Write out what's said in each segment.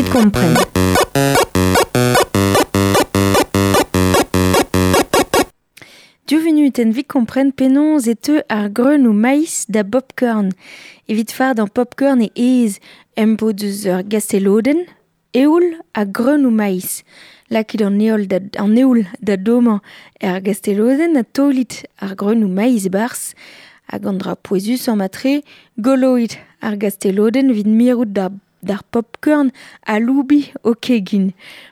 evit kompren. Div vunutenn evit kompren penaos e teu ar greunoù maiz da bopcorn. Evit fardañ popcorn e aes em bo deus ur gastelodenn, eoul ha greunoù maiz. Lakit an heol da, an eoul da dommañ er gastelodenn ha taolit ar greunoù maiz e-barzh. Hag an dra pouezusañ matre, goloit ar gastelodenn evit mirout da d'ar popcorn aloubiñ ho kegin.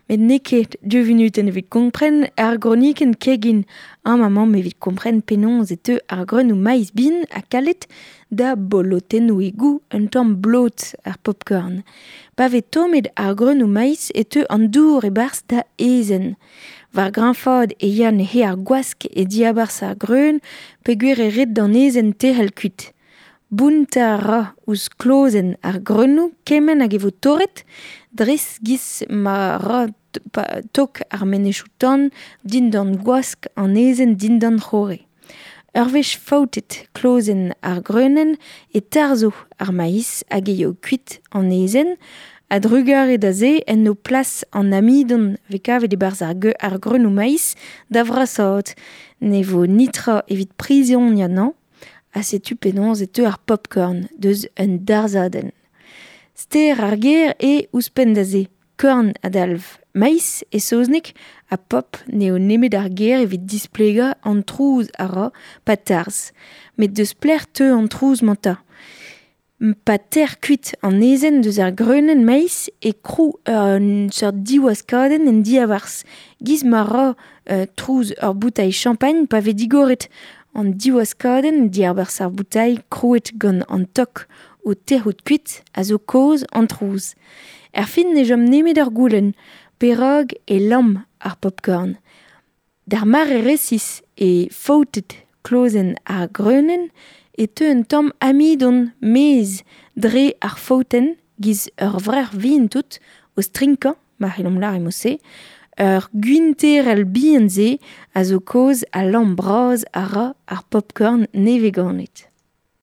Met n'eo ket div vunutenn evit kompren ar gronikenn kegin. Amañ mamm evit kompren penaos e teu ar greunoù maiz bihan ha kalet da bolotennoùigoù un tamm blot ar popcorn. Pa vez tommet ar greunoù maiz e teu an dour e-barzh da aezhenn. War greñfaat e ya neuze ar gwask e diabarzh ar greun peogwir e red d'an aezhenn tec'hel kuit. Bountañ a ra ouzh klozenn ar greunoù kement hag e vo torret, dres giz ma ra tok ar mennozhioù-tan dindan gwask an aezhenn dindan c'horre. Ur wech faoutet klozenn ar greunenn e tarzho ar maiz hag e yeo kuit an aezhenn. A-drugarez da se en do plas an amidon 'vez kavet e-barzh ar greunoù maiz da vrasaat. Ne vo netra evit prizoniañ anezhañ. Ha setu penaos e teu ar popcorn deus un darzhadenn. Ster ar ger eo ouzhpenn da se. Korn a dalv maiz e saozneg ha pop n'eo nemet ar ger evit displegañ an trouz a ra pa tarzh. Met deus pelec'h teu an trouz-mañ 'ta ? Pa tec'h kuit an aezhenn deus ar greunenn maiz e krou un seurt diwaskadenn en diabarzh 'giz ma ra trouz ur boutailh champagn pa vez digoret. An diwaskadenn diabarzh ar boutailh krouet gant an tok o tec'hout kuit a zo kaoz an trouz. Erfin ne chom nemet ur goulenn, perak e lamm ar popcorn ? D'ar mare resis e faoutet klozenn ar greunenn e teu un tamm amidon maez dre ar faoutenn 'giz ur vrec'h vihan tout o strinkañ, ma c'hellomp lâret mod-se. Ur gwinterell bihan-se a zo kaoz al lamm bras a ra ar popcorn nevez-ganet.